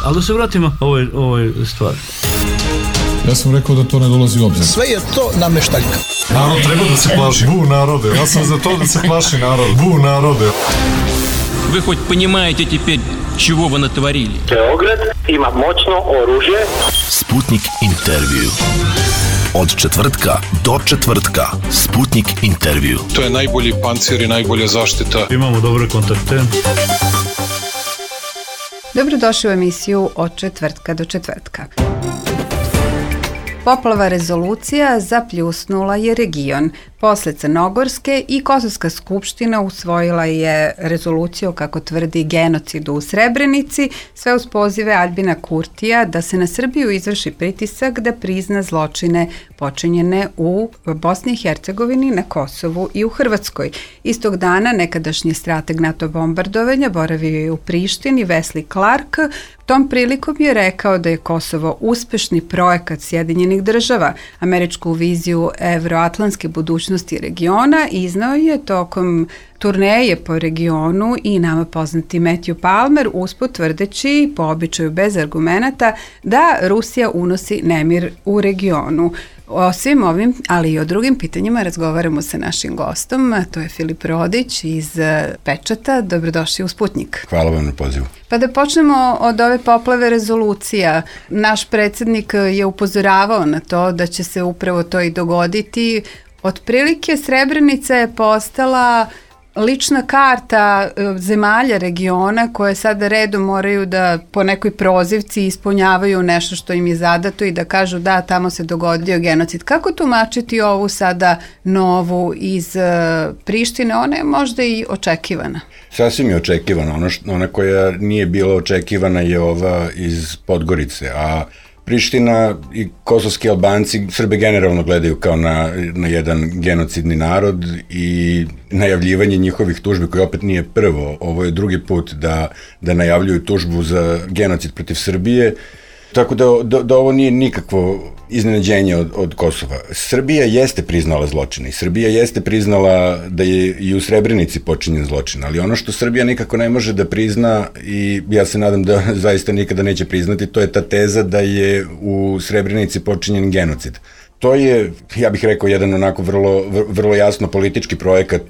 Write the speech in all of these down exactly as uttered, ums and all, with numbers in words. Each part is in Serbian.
Ali da se vratimo ovoj, ovoj stvari. Ja sam rekao da to ne dolazi u obzir. Sve je to nameštaljka. Narod treba da se plaši. Bu narode. Ja sam za to da se plaši narod. Bu narode. Вы хоть понимаете теперь, чего вы натворили? Beograd ima moćno oružje. Sputnik intervju. Od četvrtka do četvrtka. Sputnik intervju. To je najbolji pancir i najbolja zaštita. Imamo dobre kontakte. Dobrodošli u emisiju Od četvrtka do četvrtka. Poplava rezolucija zapljusnula je region. Posle Crnogorske i Kosovska skupština usvojila je rezoluciju, kako tvrdi, genocidu u Srebrenici, sve uz pozive Aljbina Kurtija da se na Srbiju izvrši pritisak da prizna zločine počinjene u Bosni i Hercegovini, na Kosovu i u Hrvatskoj. Istog dana nekadašnji strateg NATO bombardovanja boravio je u Prištini, Wesley Clark. Tom prilikom je rekao da je Kosovo uspešni projekat Sjedinjenih država. Američku viziju evroatlantske budućnosti regiona iznao je tokom turneje po regionu i nama poznati Matthew Palmer, usput tvrdeći, po običaju bez argumenata, da Rusija unosi nemir u regionu. O svim ovim, ali i o drugim pitanjima razgovaramo sa našim gostom, a to je Filip Rodić iz Pečata. Dobrodošli u Sputnik. Hvala vam na pozivu. Pa da počnemo od ove poplave rezolucija. Naš predsjednik je upozoravao na to da će se upravo to i dogoditi. Otprilike Srebrenica je postala lična karta zemalja regiona koje sada redom moraju da po nekoj prozivci ispunjavaju nešto što im je zadato i da kažu da, tamo se dogodio genocid. Kako tumačiti ovu sada novu iz Prištine? Ona je možda i očekivana. Sasvim je očekivana. Ona, što, ona koja nije bila očekivana je ova iz Podgorice, a Priština i kosovski Albanci Srbe generalno gledaju kao na, na jedan genocidni narod i najavljivanje njihovih tužbi, koje opet nije prvo, ovo je drugi put da, da najavljuju tužbu za genocid protiv Srbije, tako da, da, da ovo nije nikakvo iznenađenje od, od Kosova. Srbija jeste priznala zločine i Srbija jeste priznala da je i u Srebrenici počinjen zločin, ali ono što Srbija nikako ne može da prizna, i ja se nadam da zaista nikada neće priznati, to je ta teza da je u Srebrenici počinjen genocid. To je, ja bih rekao, jedan onako vrlo, vrlo jasno politički projekat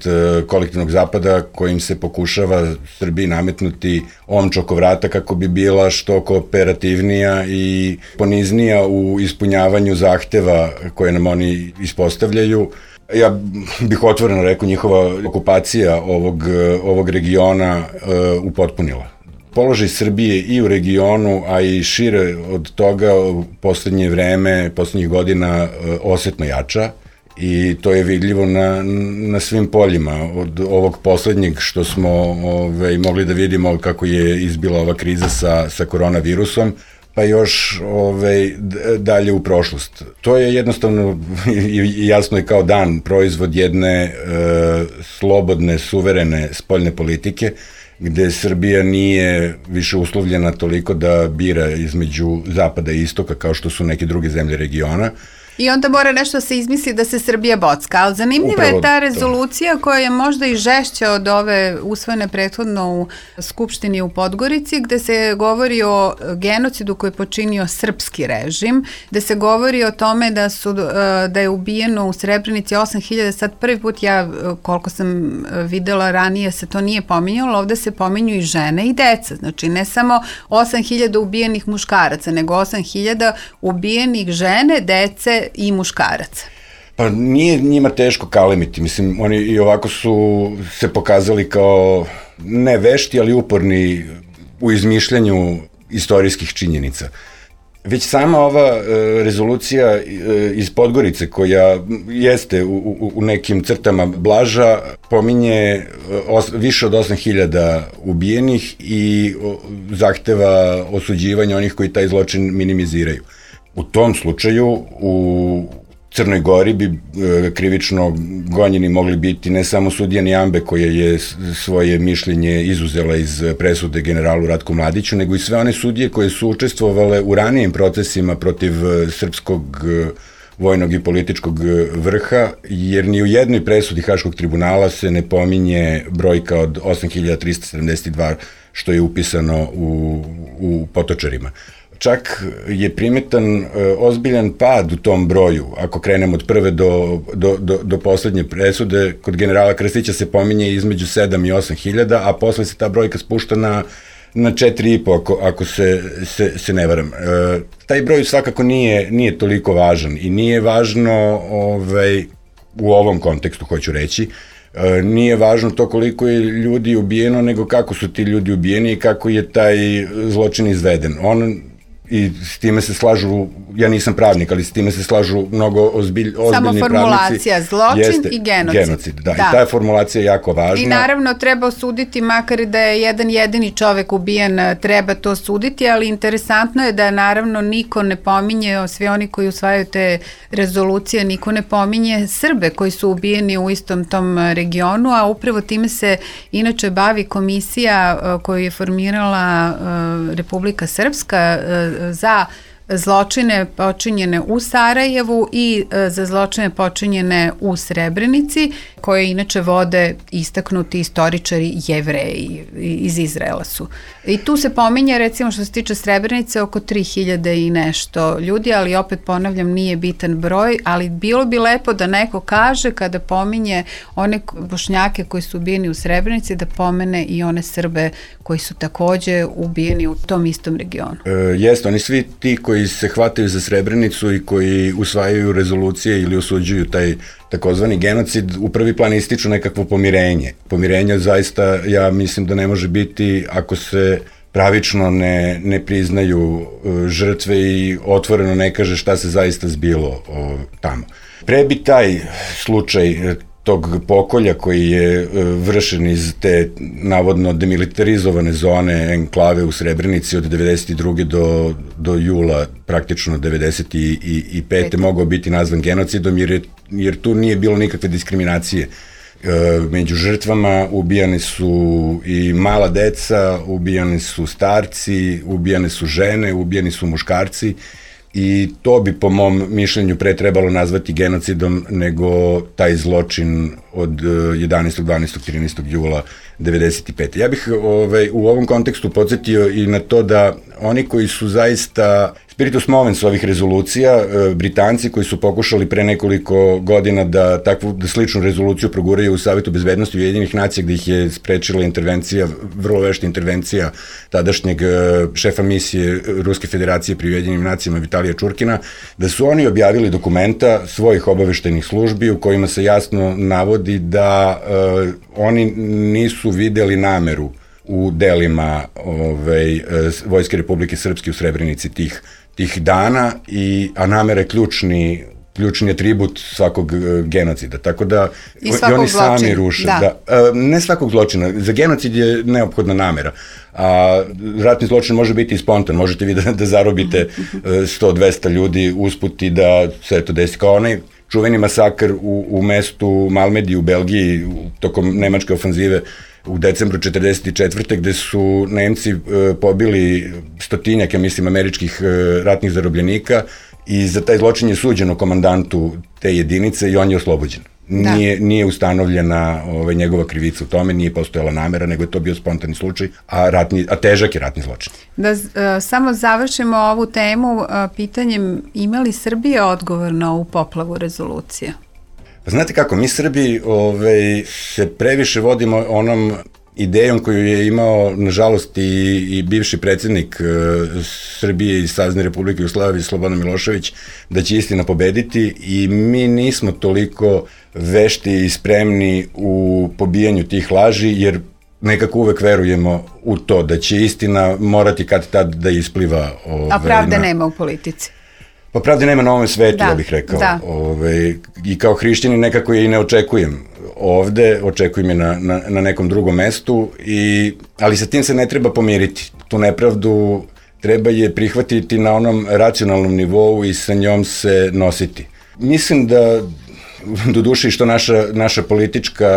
kolektivnog zapada kojim se pokušava Srbiji nametnuti omč oko vrata kako bi bila što kooperativnija i poniznija u ispunjavanju zahteva koje nam oni ispostavljaju. Ja bih otvoreno rekao, njihova okupacija ovog, ovog regiona uh, upotpunila položaj Srbije i u regionu, a i šire od toga u poslednje vreme, poslednjih godina osetno jača, i to je vidljivo na, na svim poljima. Od ovog poslednjeg što smo ove, mogli da vidimo kako je izbila ova kriza sa, sa koronavirusom, pa još ove, dalje u prošlost. To je jednostavno i jasno je kao dan proizvod jedne e, slobodne, suverene spoljne politike, gde Srbija nije više uslovljena toliko da bira između zapada i istoka kao što su neke druge zemlje regiona. I onda mora nešto se izmisli da se Srbija bocka, ali zanimljiva Upravo je ta rezolucija to. koja je možda i žešća od ove usvojene prethodno u Skupštini u Podgorici, gde se govori o genocidu koji je počinio srpski režim, gde se govori o tome da, su, da je ubijeno u Srebrenici osam hiljada, sad prvi put ja, koliko sam videla ranije, se to nije pominjalo, ovde se pominju i žene i deca, znači ne samo osam hiljada ubijenih muškaraca, nego osam hiljada ubijenih žene, dece i muškaraca. Pa nije njima teško kalemiti, mislim, oni i ovako su se pokazali kao ne vešti, ali uporni u izmišljanju istorijskih činjenica. Već sama ova e, rezolucija e, iz Podgorice, koja jeste u, u, u nekim crtama blaža, pominje os, više od osam hiljada ubijenih i o, zahteva osuđivanja onih koji taj zločin minimiziraju. U tom slučaju u Crnoj Gori bi e, krivično gonjeni mogli biti ne samo sudija Nijambe, koja je svoje mišljenje izuzela iz presude generalu Ratku Mladiću, nego i sve one sudije koje su učestvovale u ranijim procesima protiv srpskog vojnog i političkog vrha, jer ni u jednoj presudi Haškog tribunala se ne pominje brojka od osam hiljada trista sedamdeset dva što je upisano u, u Potočarima. Čak je primetan e, ozbiljan pad u tom broju, ako krenemo od prve do, do, do, do poslednje presude, kod generala Krstića se pominje između sedam i osam hiljada, a posle se ta brojka spušta na na četiri i po, ako, ako se, se, se ne varam. E, taj broj svakako nije, nije toliko važan i nije važno ovaj, u ovom kontekstu, hoću reći, e, nije važno to koliko je ljudi ubijeno, nego kako su ti ljudi ubijeni i kako je taj zločin izveden. On i s time se slažu, ja nisam pravnik, ali s time se slažu mnogo ozbilj, ozbiljni pravnici. Samo formulacija, pravnici, zločin jeste, i genocid. genocid da. da. I ta je formulacija jako važna. I naravno treba osuditi, makar i da je jedan jedini čovek ubijen, treba to suditi, ali interesantno je da naravno niko ne pominje, svi oni koji usvajaju te rezolucije, niko ne pominje Srbe koji su ubijeni u istom tom regionu, a upravo time se inače bavi komisija koju je formirala Republika Srpska za zločine počinjene u Sarajevu i za zločine počinjene u Srebrenici, koje inače vode istaknuti istoričari Jevreji iz Izraela su. I tu se pominje, recimo što se tiče Srebrenice, oko tri hiljade i nešto ljudi, ali opet ponavljam, nije bitan broj, ali bilo bi lepo da neko kaže kada pominje one Bošnjake koji su ubijeni u Srebrenici, da pomene i one Srbe koji su takođe ubijeni u tom istom regionu. E, jeste, oni svi ti koji se hvataju za Srebrenicu i koji usvajaju rezolucije ili osuđuju taj takozvani genocid, u prvi plan ističu nekakvo pomirenje. Pomirenje zaista, ja mislim da ne može biti ako se pravično ne, ne priznaju uh, žrtve i otvoreno ne kaže šta se zaista zbilo uh, tamo. Pre bi taj slučaj tog pokolja koji je uh, vršen iz te navodno demilitarizovane zone enklave u Srebrenici od devedeset druge do, do jula praktično devedeset pete mogao biti nazvan genocidom, jer, je, jer tu nije bilo nikakve diskriminacije. E, među žrtvama ubijane su i mala deca, ubijane su starci, ubijane su žene, ubijani su muškarci i to bi po mom mišljenju pre trebalo nazvati genocidom nego taj zločin od jedanaestog, dvanaestog, trinaestog jula devedeset pete. Ja bih ovaj, u ovom kontekstu podsjetio i na to da oni koji su zaista spiritus movens ovih rezolucija, Britanci koji su pokušali pre nekoliko godina da takvu da sličnu rezoluciju proguraju u Savetu bezbednosti Ujedinjenih nacija, gde ih je sprečila intervencija, vrlo vešta intervencija tadašnjeg šefa misije Ruske federacije pri Ujedinjenim nacijama Vitalija Čurkina, da su oni objavili dokumenta svojih obaveštajnih službi u kojima se jasno navodi da uh, oni nisu videli nameru u delima ovaj, Vojske Republike Srpske u Srebrenici tih, tih dana, i, a namera je ključni, ključni atribut svakog genocida. Tako da i, i oni sami zločina. Ruše. Da. Da, ne svakog zločina. Za genocid je neophodna namera. A ratni zločin može biti i spontan. Možete vi da, da zarobite sto do dvesta ljudi usput i da se to desi. Kao onaj čuveni masakr u, u mestu Malmedi u Belgiji tokom nemačke ofanzive u decembru četrdeset četvrte gde su Nemci e, pobili stotinjak, ja mislim, američkih e, ratnih zarobljenika i za taj zločin je suđeno komandantu te jedinice i on je oslobođen. Nije, da. nije ustanovljena ovaj, njegova krivica u tome, nije postojala namera, nego je to bio spontani slučaj, a, ratni, a težak je ratni zločin. Da uh, samo završimo ovu temu uh, pitanjem, ima li Srbija odgovor na ovu poplavu rezolucija? Pa znate kako, mi Srbi ovaj, se previše vodimo onom idejom koju je imao, nažalost, i, i bivši predsjednik uh, Srbije i Savezne Republike Jugoslavije Slobodan Milošević, da će istina pobediti, i mi nismo toliko vešti i spremni u pobijanju tih laži, jer nekako uvek verujemo u to da će istina morati kad tad da ispliva. Ove, A pravde na... nema u politici. Pa pravde nema na ovom svetu, da, ja bih rekao. Da. Ove, I kao hrišćanin nekako je i ne očekujem ovde, očekujem je na, na, na nekom drugom mestu, i, ali sa tim se ne treba pomiriti. Tu nepravdu treba je prihvatiti na onom racionalnom nivou i sa njom se nositi. Mislim da do duše što naša, naša politička,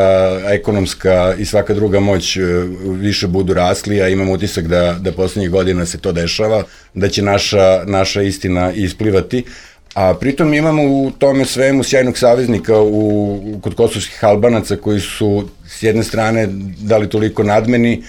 ekonomska i svaka druga moć više budu rasli, a imam utisak da, da poslednjih godina se to dešava, da će naša, naša istina isplivati, A pritom imamo u tome svemu sjajnog saveznika u, kod kosovskih Albanaca koji su s jedne strane da li toliko nadmeni,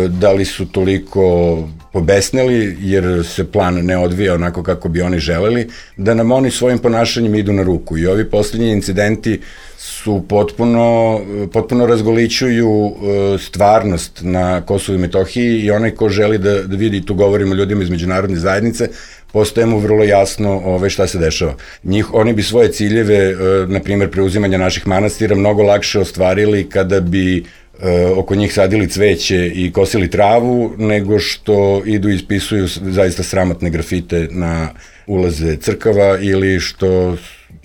da li su toliko pobesneli jer se plan ne odvija onako kako bi oni želeli, da nam oni svojim ponašanjem idu na ruku. I ovi posljednji incidenti su potpuno, potpuno razgolićuju stvarnost na Kosovu i Metohiji i onaj ko želi da, da vidi, tu govorimo ljudima iz međunarodne zajednice, postaje mu vrlo jasno ove, šta se dešava. Njih, oni bi svoje ciljeve, na primjer preuzimanja naših manastira, mnogo lakše ostvarili kada bi oko njih sadili cveće i kosili travu, nego što idu i ispisuju zaista sramotne grafite na ulaze crkava ili što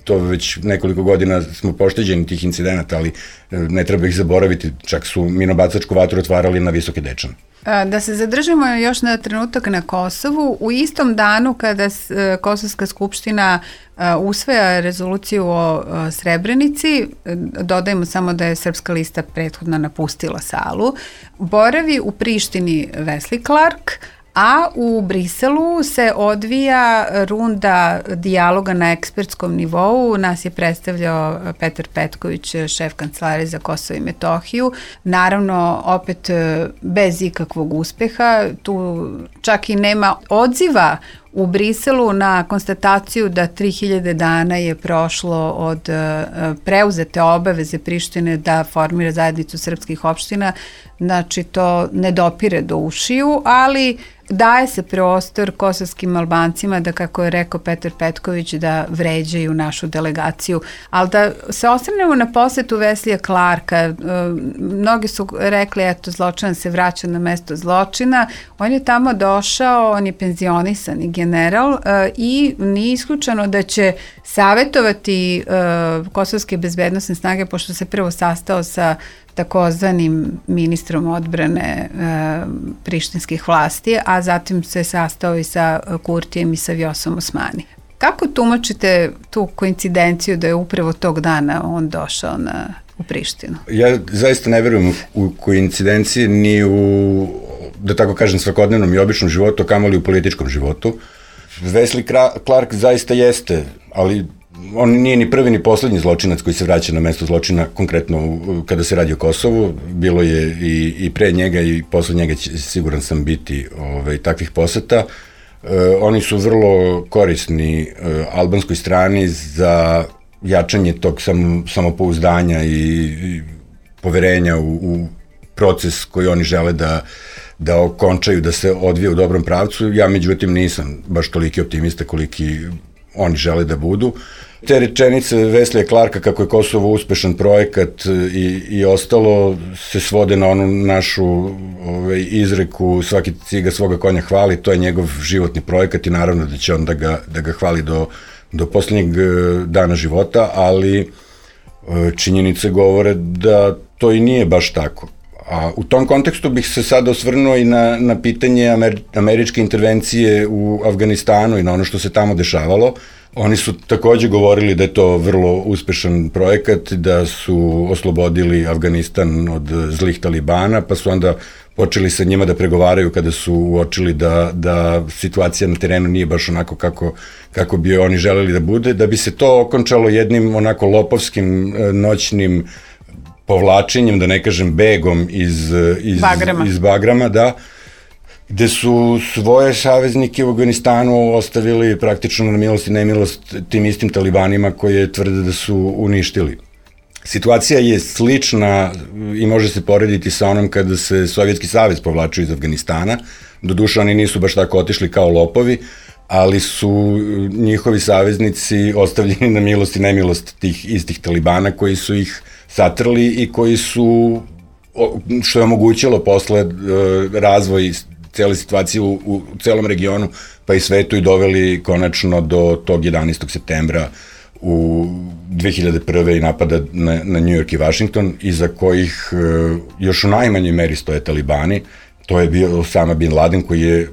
to već nekoliko godina smo pošteđeni tih incidenata, ali ne treba ih zaboraviti, čak su minobacačku vatru otvarali na Visoke Dečane. Da se zadržimo još na trenutak na Kosovu, u istom danu kada Kosovska skupština usvaja rezoluciju o Srebrenici, dodajemo samo da je Srpska lista prethodno napustila salu, boravi u Prištini Wesley Clark, a u Briselu se odvija runda dijaloga na ekspertskom nivou. Nas je predstavljao Petar Petković, šef kancelarije za Kosovo i Metohiju. Naravno, opet bez ikakvog uspeha. Tu čak i nema odziva u Briselu na konstataciju da tri hiljade dana je prošlo od preuzete obaveze Prištine da formira zajednicu srpskih opština. Znači, to ne dopire do ušiju, ali daje se prostor kosovskim Albancima da, kako je rekao Petar Petković, da vređaju našu delegaciju. Ali da se osvrnemo na posetu Weslija Clarka, mnogi su rekli, eto, zločin se vraća na mesto zločina. On je tamo došao, on je penzionisani general i nije isključeno da će savjetovati kosovske bezbednosne snage, pošto se prvo sastao sa takozvanim ministrom odbrane e, prištinskih vlasti, a zatim se sastao i sa Kurtijem i sa Vjosom Osmani. Kako tumačite tu koincidenciju da je upravo tog dana on došao na, u Prištinu? Ja zaista ne verujem u koincidencije ni u, da tako kažem, svakodnevnom i običnom životu, kamoli u političkom životu. Wesley Clark zaista jeste, ali on nije ni prvi ni poslednji zločinac koji se vraća na mesto zločina, konkretno kada se radi o Kosovu. Bilo je i, i pre njega i posle njega će, siguran sam, biti ove, takvih poseta. E, oni su vrlo korisni e, albanskoj strani za jačanje tog sam, samopouzdanja i, i poverenja u, u proces koji oni žele da, da okončaju, da se odvije u dobrom pravcu. Ja, međutim, nisam baš toliki optimista koliki oni žele da budu. Te rečenice Weslija Clarka kako je Kosovo uspešan projekat i, i ostalo se svode na onu našu ovaj, izreku svaki ciga svoga konja hvali, to je njegov životni projekat i naravno da će on da ga, da ga hvali do, do poslednjeg dana života, ali činjenice govore da to i nije baš tako. A u tom kontekstu bih se sad osvrnuo i na, na pitanje amer, američke intervencije u Afganistanu i na ono što se tamo dešavalo. Oni su takođe govorili da je to vrlo uspešan projekat, da su oslobodili Afganistan od zlih talibana, pa su onda počeli sa njima da pregovaraju kada su uočili da, da situacija na terenu nije baš onako kako, kako bi oni želeli da bude, da bi se to okončalo jednim onako lopovskim noćnim povlačenjem, da ne kažem begom iz, iz, Bagrama. iz Bagrama, da, gde su svoje saveznike u Afganistanu ostavili praktično na milost i nemilost tim istim talibanima koje tvrde da su uništili. Situacija je slična i može se porediti sa onom kada se Sovjetski savez povlačio iz Afganistana. Doduše, oni nisu baš tako otišli kao lopovi, ali su njihovi saveznici ostavljeni na milost i nemilost tih istih talibana koji su ih satrli i koji su, što je omogućilo posle razvoj cele situacije u, u celom regionu, pa i svetu, i doveli konačno do tog jedanaestog septembra u dve hiljade prve i napada na, na New York i Washington, iza kojih e, još u najmanjoj meri stoje talibani. To je bio Osama Bin Laden, koji je,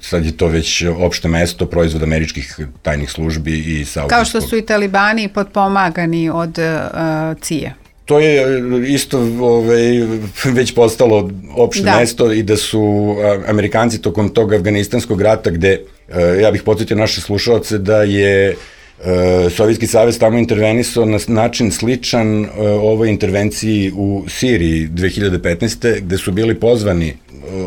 sad je to već opšte mesto, proizvod američkih tajnih službi i saudijskog. Kao što su i talibani potpomagani od uh, C I A. To je isto ovaj, već postalo opšte da. mesto i da su Amerikanci tokom tog afganistanskog rata, gde, ja bih podsjetio naše slušalce da je E, Sovjetski savez tamo intervenisao na način sličan e, ovoj intervenciji u Siriji dve hiljade petnaeste. gde su bili pozvani e,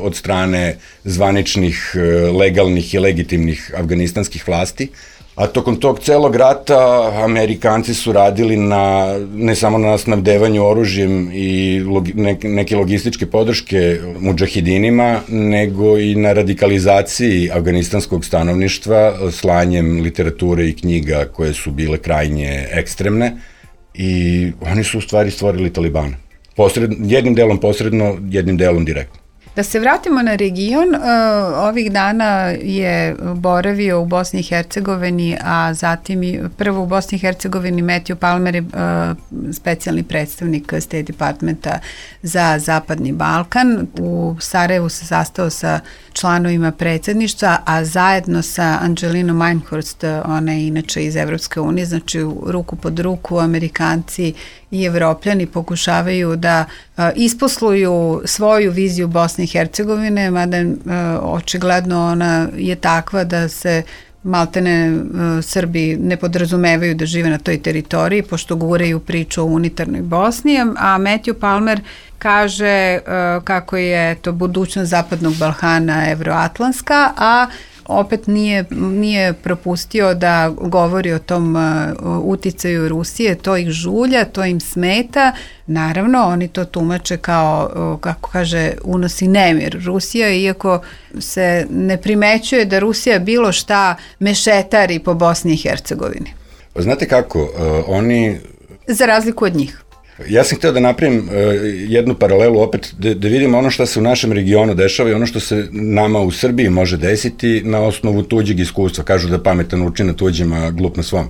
od strane zvaničnih, e, legalnih i legitimnih afganistanskih vlasti, a tokom tog celog rata Amerikanci su radili na, ne samo na snabdevanju oružjem i logi, ne, neke logističke podrške mudžahidinima, nego i na radikalizaciji afganistanskog stanovništva, slanjem literature i knjiga koje su bile krajnje ekstremne, i oni su u stvari stvorili Talibana. Posred, jednim delom posredno, jednim delom direktno. Da se vratimo na region, uh, ovih dana je boravio u Bosni i Hercegovini, a zatim i prvo u Bosni i Hercegovini Matthew Palmer je uh, specijalni predstavnik State Departmenta za Zapadni Balkan. U Sarajevu se sastao sa članovima predsjedništva, a zajedno sa Angelinom Einhorst, ona je inače iz Evropske unije, znači ruku pod ruku Amerikanci i Evropljani pokušavaju da uh, isposluju svoju viziju Bosne i Hercegovine, mada uh, očigledno ona je takva da se maltene uh, Srbi ne podrazumevaju da žive na toj teritoriji, pošto guraju priču o unitarnoj Bosni, a Matthew Palmer kaže uh, kako je to budućnost Zapadnog Balkana evroatlantska, a opet nije, nije propustio da govori o tom uh, uticaju Rusije, to ih žulja, to im smeta. Naravno, oni to tumače kao, uh, kako kaže, unosi nemir Rusija, iako se ne primećuje da Rusija bilo šta mešetari po Bosni i Hercegovini. Znate kako, uh, oni... Za razliku od njih. Ja sam hteo da napravim uh, jednu paralelu opet, da, da vidimo ono što se u našem regionu dešava i ono što se nama u Srbiji može desiti na osnovu tuđeg iskustva. Kažu da pametan uči na tuđim, a glup na svom.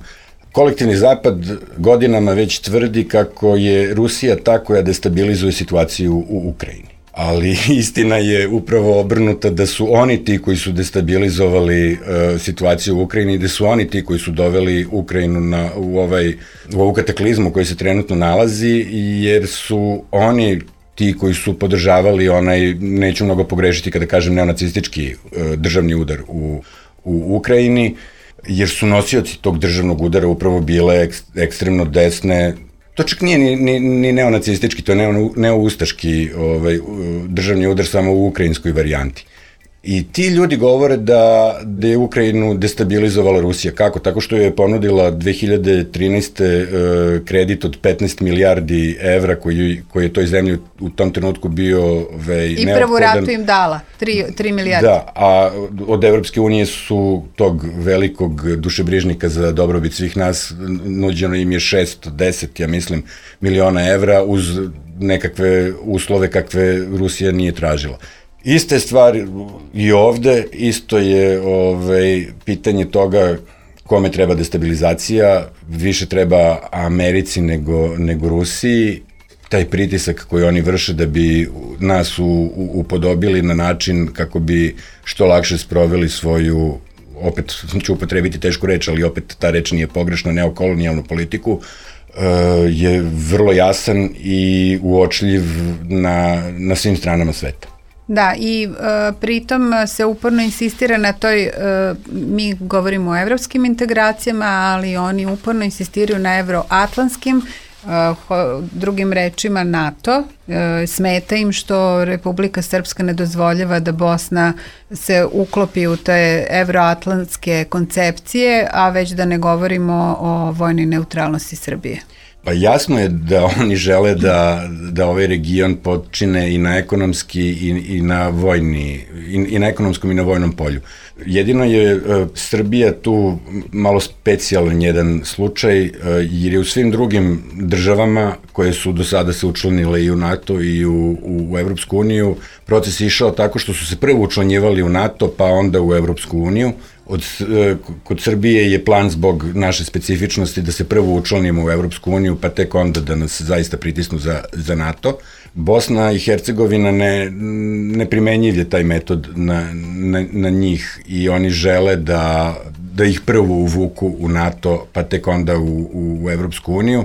Kolektivni zapad godinama već tvrdi kako je Rusija ta koja destabilizuje situaciju u Ukrajini. Ali istina je upravo obrnuta, da su oni ti koji su destabilizovali uh, situaciju u Ukrajini, da su oni ti koji su doveli Ukrajinu na, u, ovaj, u ovu kataklizmu u kojoj se trenutno nalazi, jer su oni ti koji su podržavali onaj, neću mnogo pogrešiti kada kažem neonacistički uh, državni udar u, u Ukrajini, jer su nosioci tog državnog udara upravo bile ek, ekstremno desne. To čak nije ni, ni, ni neonacistički, to je neo, neoustaški ovaj, državni udar samo u ukrajinskoj varijanti. I ti ljudi govore da, da je Ukrajinu destabilizovala Rusija. Kako? Tako što je ponudila dve hiljade trinaeste. kredit od petnaest milijardi evra koji, koji je toj zemlji u tom trenutku bio ovaj, I prvu ratu im dala, tri milijarde. Da, a od Evropske unije su tog velikog dušebrižnika za dobrobit svih nas, nuđeno im je šesto deset, ja mislim, miliona evra uz nekakve uslove kakve Rusija nije tražila. Iste stvari i ovde, isto je ovaj, pitanje toga kome treba destabilizacija, više treba Americi nego, nego Rusiji, taj pritisak koji oni vrše da bi nas u, u, upodobili na način kako bi što lakše sproveli svoju, opet ću upotrebiti tešku reč, ali opet ta reč nije pogrešna, neokolonijalnu politiku, je vrlo jasan i uočljiv na, na svim stranama sveta. Da, i uh, pritom se uporno insistira na toj, uh, mi govorimo o evropskim integracijama, ali oni uporno insistiraju na evroatlantskim, uh, drugim rečima NATO. Uh, smeta im što Republika Srpska ne dozvoljava da Bosna se uklopi u te evroatlantske koncepcije, a već da ne govorimo o vojnoj neutralnosti Srbije. Pa jasno je da oni žele da, da ovaj region počine i na ekonomski i, i na vojni, i, i na ekonomskom i na vojnom polju. Jedino je uh, Srbija tu malo specijalan jedan slučaj, uh, jer je u svim drugim državama koje su do sada se učlanile i u NATO i u, u, u Evropsku uniju, proces je išao tako što su se prvo učlanjivali u NATO pa onda u Evropsku uniju. Od, kod Srbije je plan zbog naše specifičnosti da se prvo učlanimo u Evropsku uniju, pa tek onda da nas zaista pritisnu za, za NATO. Bosna i Hercegovina ne, ne primenjiv je taj metod na, na, na njih i oni žele da, da ih prvo uvuku u NATO, pa tek onda u, u, u Evropsku uniju.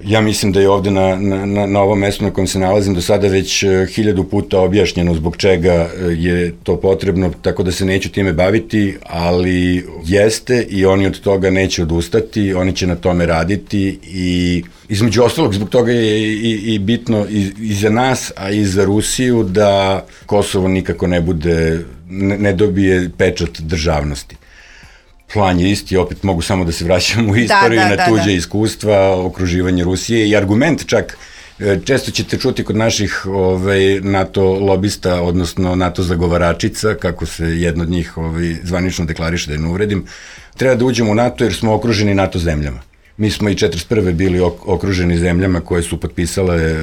Ja mislim da je ovde na, na, na ovom mestu na kojem se nalazim do sada već hiljadu puta objašnjeno zbog čega je to potrebno, tako da se neću time baviti, ali jeste i oni od toga neće odustati, oni će na tome raditi i između ostalog zbog toga je i, i bitno i, i za nas, a i za Rusiju da Kosovo nikako ne bude, ne, ne dobije pečat državnosti. Plan je isti, opet mogu samo da se vraćam u istoriju, da, da, na tuđe da, da. iskustva, okruživanje Rusije i argument čak, često ćete čuti kod naših ovaj, NATO lobista, odnosno NATO zagovaračica, kako se jedna od njih ovaj, zvanično deklariše, da je ne uvredim, treba da uđemo u NATO jer smo okruženi NATO zemljama. Mi smo i četrdeset prve bili okruženi zemljama koje su potpisale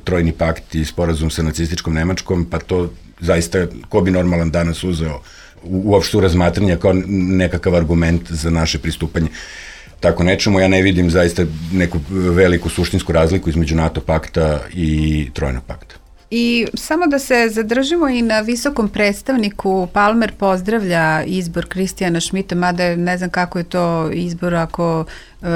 Trojni pakt i sporazum sa nacističkom Nemačkom, pa to zaista, ko bi normalan danas uzeo uopšte u razmatranje kao nekakav argument za naše pristupanje. Tako nečemu, ja ne vidim zaista neku veliku suštinsku razliku između NATO pakta i Trojnog pakta. I samo da se zadržimo i na visokom predstavniku, Palmer pozdravlja izbor Kristijana Šmita, mada ne znam kako je to izbor ako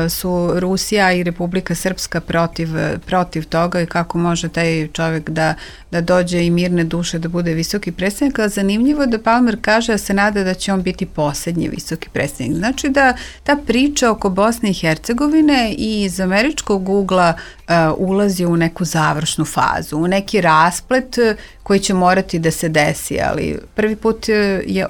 su Rusija i Republika Srpska protiv, protiv toga i kako može taj čovjek da, da dođe i mirne duše da bude visoki predstavnik, ali zanimljivo je da Palmer kaže da se nada da će on biti poslednji visoki predstavnik. Znači da ta priča oko Bosne i Hercegovine i iz američkog ugla uh, ulazi u neku završnu fazu, u neki rasplet koji će morati da se desi, ali prvi put je,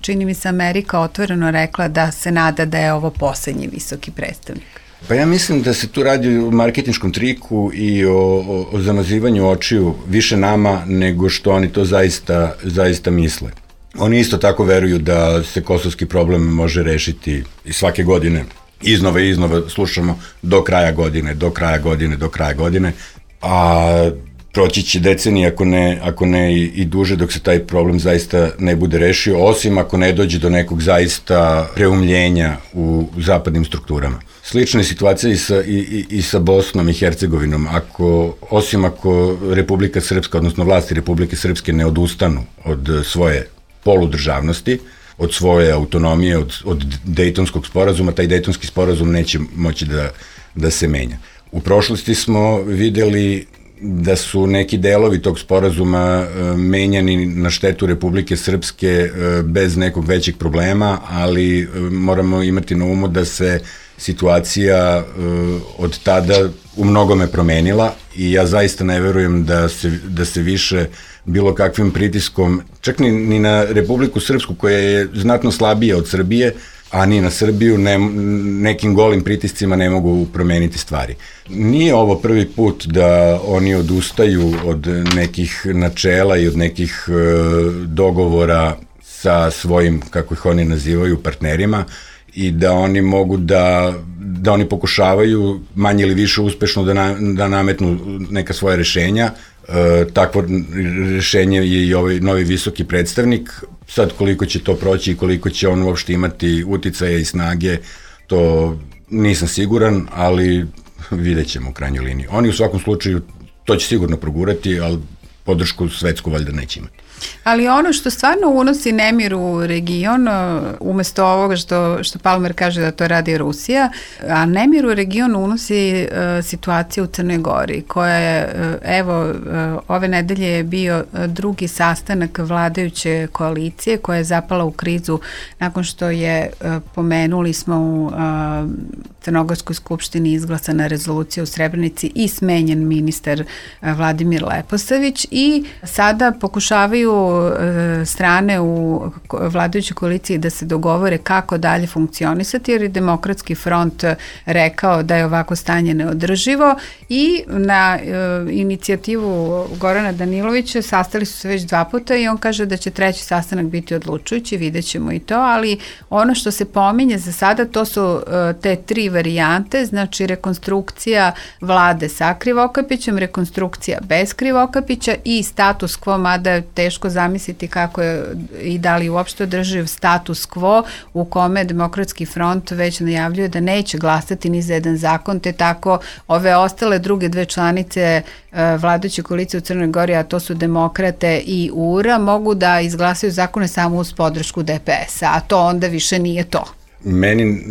čini mi se, Amerika otvoreno rekla da se nada da je ovo poslednji visoki predstavnik. Pa ja mislim da se tu radi o marketinškom triku i o, o, o zamazivanju očiju više nama nego što oni to zaista, zaista misle. Oni isto tako veruju da se kosovski problem može rešiti i svake godine iznova i iznova slušamo do kraja godine, do kraja godine, do kraja godine, a proći će decenije ako ne, ako ne i, i duže dok se taj problem zaista ne bude rešio, osim ako ne dođe do nekog zaista preumljenja u zapadnim strukturama. Slična je situacija i sa, i, i, i sa Bosnom i Hercegovinom. Ako, osim ako Republika Srpska, odnosno vlasti Republike Srpske ne odustanu od svoje poludržavnosti, od svoje autonomije, od, od Dejtonskog sporazuma, taj Dejtonski sporazum neće moći da, da se menja. U prošlosti smo videli da su neki delovi tog sporazuma menjani na štetu Republike Srpske bez nekog većeg problema, ali moramo imati na umu da se situacija od tada u mnogome promenila i ja zaista ne verujem da se, da se više bilo kakvim pritiskom, čak ni, ni na Republiku Srpsku koja je znatno slabija od Srbije, a ni na Srbiju ne, nekim golim pritiscima ne mogu promeniti stvari. Nije ovo prvi put da oni odustaju od nekih načela i od nekih e, dogovora sa svojim, kako ih oni nazivaju, partnerima i da oni mogu da, da oni pokušavaju manje ili više uspešno da, na, da nametnu neka svoja rešenja. E, takvo rešenje je i ovaj novi visoki predstavnik. Sad koliko će to proći i koliko će on uopšte imati uticaja i snage, to nisam siguran, ali vidjet ćemo u krajnjoj liniji. Oni u svakom slučaju to će sigurno progurati, ali podršku svetsku valjda neće imati. Ali ono što stvarno unosi nemir u region, umesto ovoga što, što Palmer kaže da to radi Rusija, a nemir u region unosi uh, situacija u Crnoj Gori, koja je, uh, evo, uh, ove nedelje je bio drugi sastanak vladajuće koalicije koja je zapala u krizu nakon što je, uh, pomenuli smo u uh, Crnogorskoj skupštini izglasana rezolucija u Srebrenici i smenjen ministar uh, Vladimir Leposavić i sada pokušavaju strane u vladajućoj koaliciji da se dogovore kako dalje funkcionisati, jer je Demokratski front rekao da je ovako stanje neodrživo i na e, inicijativu Gorana Danilovića sastali su se već dva puta i on kaže da će treći sastanak biti odlučujući, vidjet ćemo i to, ali ono što se pominje za sada to su e, te tri varijante, znači rekonstrukcija vlade sa Krivokapićem, rekonstrukcija bez Krivokapića i status quo, mada je teško zamisliti kako je i da li uopšte održiv status quo u kome Demokratski front već najavljuje da neće glasati ni za jedan zakon, te tako ove ostale druge dve članice uh, vladajuće koalicije u Crnoj Gori, a to su Demokrate i U R A, mogu da izglasaju zakone samo uz podršku D P S-a, a to onda više nije to. meni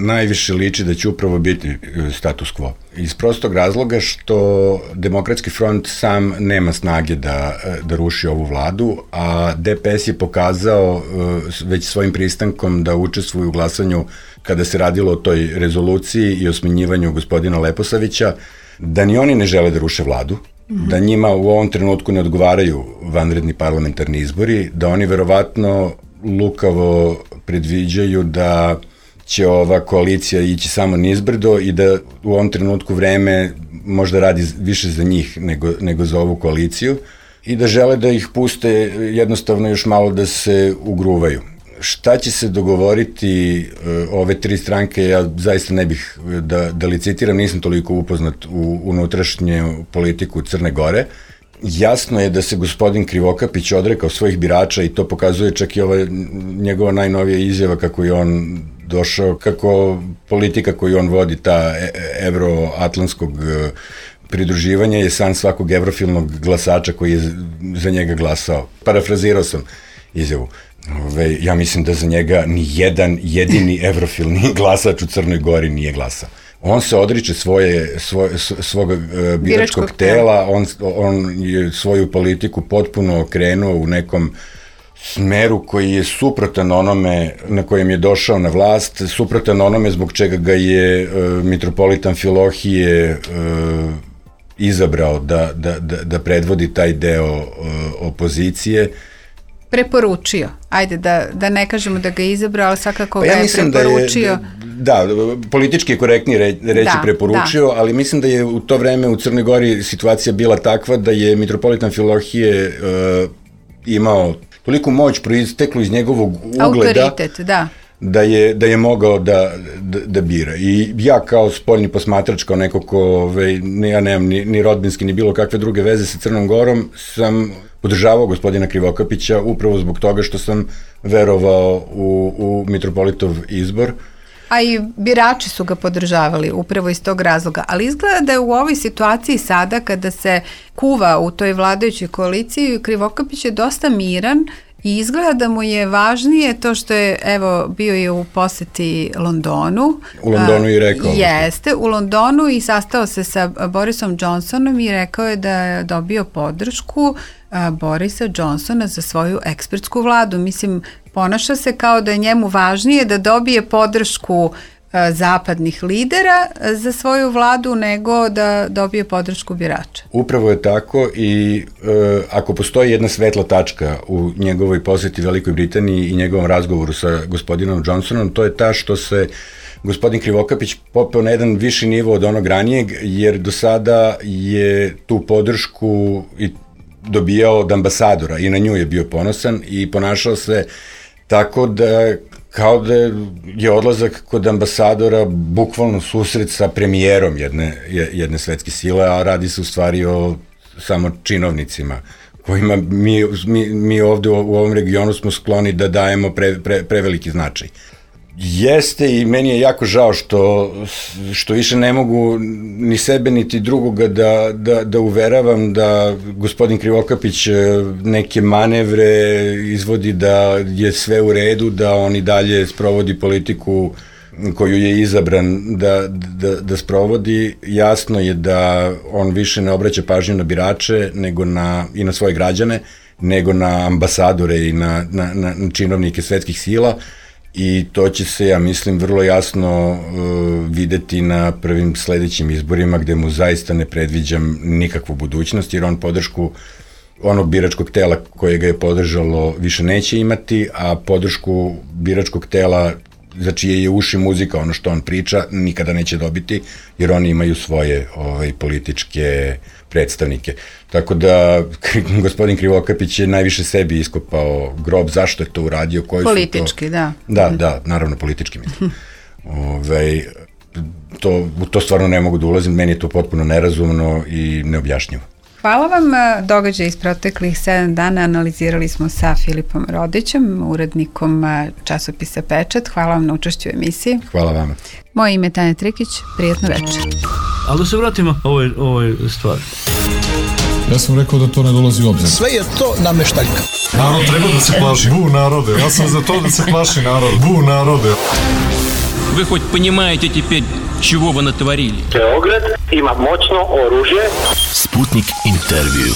najviše liči da će upravo biti status quo. Iz prostog razloga što Demokratski front sam nema snage da, da ruši ovu vladu, a D P S je pokazao već svojim pristankom da učestvuje u glasanju kada se radilo o toj rezoluciji i o smenjivanju gospodina Leposavića, da ni oni ne žele da ruše vladu, mm-hmm. da njima u ovom trenutku ne odgovaraju vanredni parlamentarni izbori, da oni verovatno lukavo predviđaju da će ova koalicija ići samo nizbrdo i da u ovom trenutku vreme možda radi više za njih nego, nego za ovu koaliciju i da žele da ih puste jednostavno još malo da se ugruvaju. Šta će se dogovoriti uh, ove tri stranke, ja zaista ne bih da, da licitiram, nisam toliko upoznat u unutrašnju politiku Crne Gore. Jasno je da se gospodin Krivokapić odrekao svojih birača i to pokazuje čak i ova njegova najnovija izjava kako je on došao, kako politika koju on vodi, ta evroatlantskog pridruživanja je san svakog evrofilnog glasača koji je za njega glasao. Parafrazirao sam izjavu. Ove, ja mislim da za njega ni jedan jedini evrofilni glasač u Crnoj Gori nije glasao. On se odriče svoje, svoje, svog uh, biračkog, biračkog tela, on, on je svoju politiku potpuno okrenuo u nekom smeru koji je suprotan onome na kojem je došao na vlast, suprotan onome zbog čega ga je uh, mitropolitan Filohije uh, izabrao da, da, da, da predvodi taj deo uh, opozicije. Preporučio. Ajde, da, da ne kažemo da ga je izabrao, ali svakako pa ja ga je preporučio. Da, je, da, da, politički je korektnije re, reći da, preporučio, da. Ali mislim da je u to vreme u Crnoj Gori situacija bila takva da je mitropolitan Filohije uh, imao toliku moć proisteklu iz njegovog ugleda. Autoritet, da. Da je, da je mogao da, da, da bira. I ja kao spoljni posmatrač, kao neko ko, ove, ne, ja nemam ni, ni rodbinski, ni bilo kakve druge veze sa Crnom Gorom, sam podržavao gospodina Krivokapića upravo zbog toga što sam verovao u, u mitropolitov izbor. A i birači su ga podržavali upravo iz tog razloga, ali izgleda da je u ovoj situaciji sada kada se kuva u toj vladajućoj koaliciji, Krivokapić je dosta miran i izgleda da mu je važnije to što je, evo, bio je u poseti Londonu. U Londonu i rekao. Jeste, u Londonu i sastao se sa Borisom Johnsonom i rekao je da je dobio podršku a, Borisa Johnsona za svoju ekspertsku vladu. Mislim, ponaša se kao da je njemu važnije da dobije podršku a, zapadnih lidera za svoju vladu nego da dobije podršku birača. Upravo je tako i e, ako postoji jedna svetla tačka u njegovoj poseti Velikoj Britaniji i njegovom razgovoru sa gospodinom Johnsonom, to je ta što se gospodin Krivokapić popeo na jedan viši nivo od onog ranijeg, jer do sada je tu podršku i dobijao od ambasadora i na nju je bio ponosan i ponašao se tako da kao da je odlazak kod ambasadora bukvalno susret sa premijerom jedne, jedne svetske sile, a radi se u stvari o samo činovnicima kojima mi, mi, mi ovde u, u ovom regionu smo skloni da dajemo pre, pre, preveliki značaj. Jeste i meni je jako žao što, što više ne mogu ni sebe niti drugoga da, da, da uveravam da gospodin Krivokapić neke manevre izvodi da je sve u redu, da on i dalje sprovodi politiku koju je izabran da, da, da sprovodi. Jasno je da on više ne obraća pažnju na birače nego na, i na svoje građane, nego na ambasadore i na, na, na činovnike svetskih sila. I to će se, ja mislim, vrlo jasno uh, videti na prvim sledećim izborima gde mu zaista ne predviđam nikakvu budućnost, jer on podršku onog biračkog tela koje ga je podržalo više neće imati, a podršku biračkog tela za čije je uši muzika, ono što on priča, nikada neće dobiti, jer oni imaju svoje ovaj, političke predstavnike. Tako da gospodin Krivokapić je najviše sebi iskopao grob, zašto je to uradio, koji politički, su to... da. Da, da, naravno politički mislim. Ove, to, to stvarno ne mogu da ulazim, meni je to potpuno nerazumno i neobjašnjivo. Hvala vam. Događaj iz proteklih sedam dana analizirali smo sa Filipom Rodićem, urednikom časopisa Pečat. Hvala vam na učešću u emisiji. Hvala vama. Moje ime je Tanja Trikić, prijatno večer. Ali da se vratimo ovoj, ovoj stvari. Ja sam rekao da to ne dolazi u obzir. Sve je to nameštaljka. Narod treba da se plaši. Bu narode. Ja sam za to da se plaši narod. Bu narode. Вы хоть понимаете теперь, чего вы натворили? Beograd ima moćno oružje. Sputnik intervju.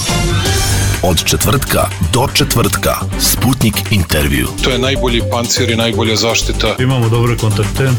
Od četvrtka do četvrtka. Sputnik intervju. To je najbolji pancir i najbolja zaštita. Imamo dobre kontakte.